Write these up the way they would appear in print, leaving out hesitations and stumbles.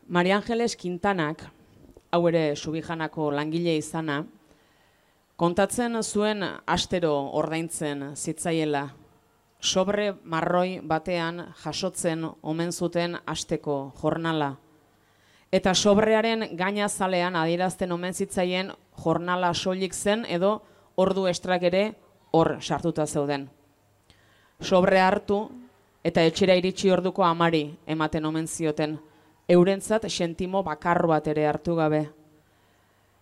Maria Angeles Quintanak, hau ere Subijanako langile izana, kontatzen zuen astero ordaintzen zitzaiela, sobre marroi batean jasotzen omen zuten asteko jornala. Eta sobrearen gainazalean adierazten omen zitzaien jornala soilik zen edo ordu estrak ere hor sartuta zeuden. Sobre hartu eta etxera iritsi orduko amari ematen omen zioten, eurentzat sentimo bakar bat ere hartu gabe.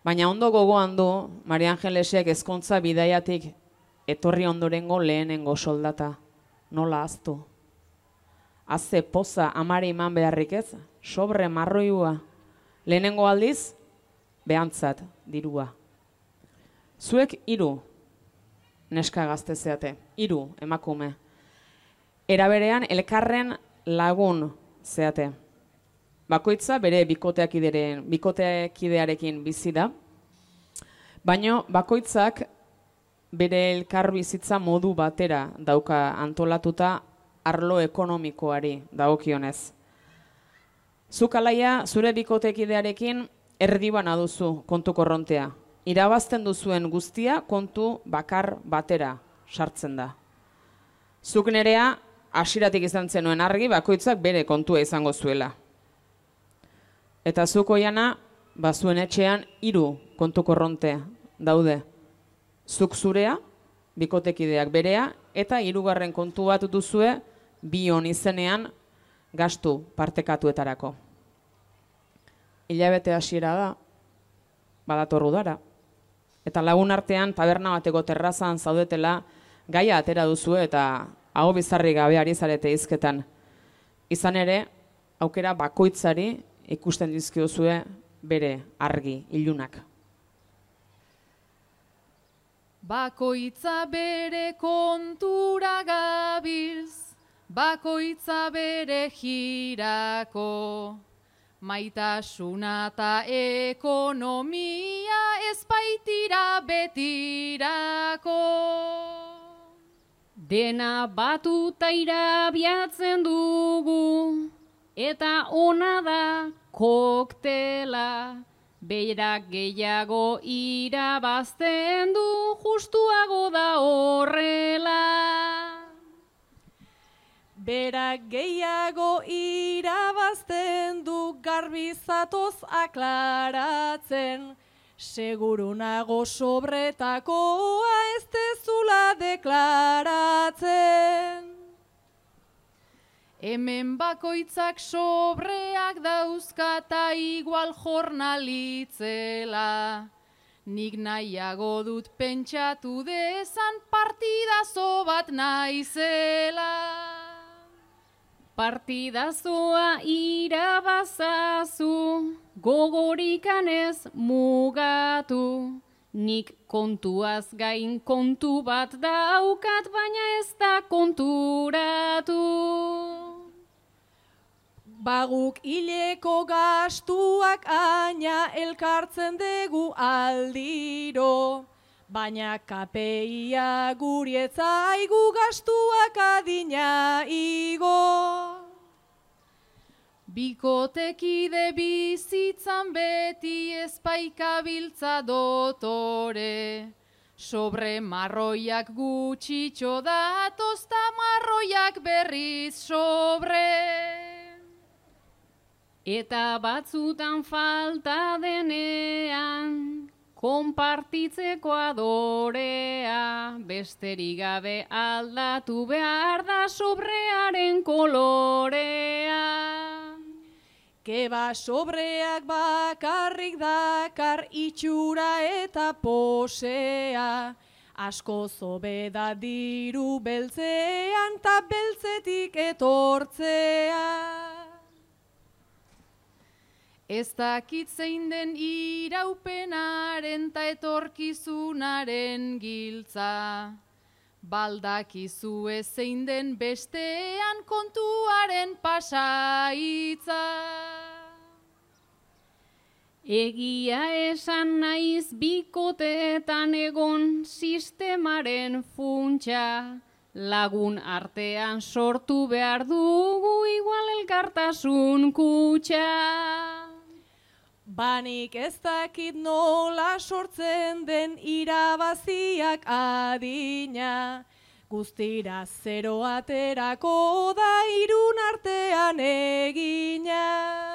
Baina ondo gogoan du Maria Angelesek ezkontza bidaiatik etorri ondorengo lehenengo soldata. Nola ahaztu? Haze poza amari eman beharrik ez, sobre marroiua. Lehenengo aldiz, behantzat dirua. Zuek 3 neska gazte zeate, 3 emakume. Era berean elkarren lagun zeate. Bakoitza bere bikotekidearekin bizi da, baina bakoitzak bere elkar bizitza modu batera dauka antolatuta arlo ekonomikoari dagokionez. Zuk alaia zure bikotekidearekin erdibana duzu kontu korrontea. Irabazten duzuen guztia kontu bakar batera sartzen da. Zuk nerea hasieratik izan zenuen argi bakoitzak bere kontua izango zuela. Eta zuk oiana, zuen etxean 3 kontu korronte daude. Zuk zurea, bikotekideak berea, eta 3. kontu bat duzue bion izenean gastu partekatuetarako. Hilabete hasiera da, badator udara. Eta lagun artean taberna bateko terrazan zaudetela gaia atera duzu eta aho bizarri gabe ari zarete hizketan. Izan ere, aukera bakoitzari ikusten dizkiozue bere argi ilunak. Bakoitza bere kontura gabilz, bakoitza bere jirako, maitasuna eta ekonomia ez baitira betirako. Dena batuta irabiatzen dugu, eta ona da koktela, berak gehiago irabazten du, justuago da horrela. Berak gehiago irabazten du, garbi zatoz aklaratzen, seguru nago sobretakoa ez dezula deklaratzen. Hemen bakoitzak sobreak dauzkata igual jornalitzela, nik nahiago dut pentsatu dezan partidazo bat naizela. Partidazoa irabazazu, gogorikan ez mugatu. Nik kontuaz gain kontu bat daukat, baina ez da konturatu. Baguk hileko gastuak aina elkartzen dugu aldiro, baina KPIa gurietzaigu gastuak adina igo. Bikotekide bizitzan beti ezpaikabiltza dotore, sobre marroiak gutxitxo datoz ta marroiak berriz sobre. Eta batzutan falta denean, konpartitzeko adorea, besterik gabe aldatu behar da sobrearen kolorea. Keba sobreak bakarrik dakar itxura eta posea, asko zobe da diru beltzean ta beltzetik etortzea. Ez dakit zein den iraupenaren ta etorkizunaren giltza, baldakizu zein den bestean kontuaren pasaitza. Egia esan naiz bikoteetan egon sistemaren funtsa, lagun artean sortu behar dugu igual elkartasun kutxa. Banik ez dakit nola sortzen den irabaziak adina. Guztira zero aterako da irun artean egina.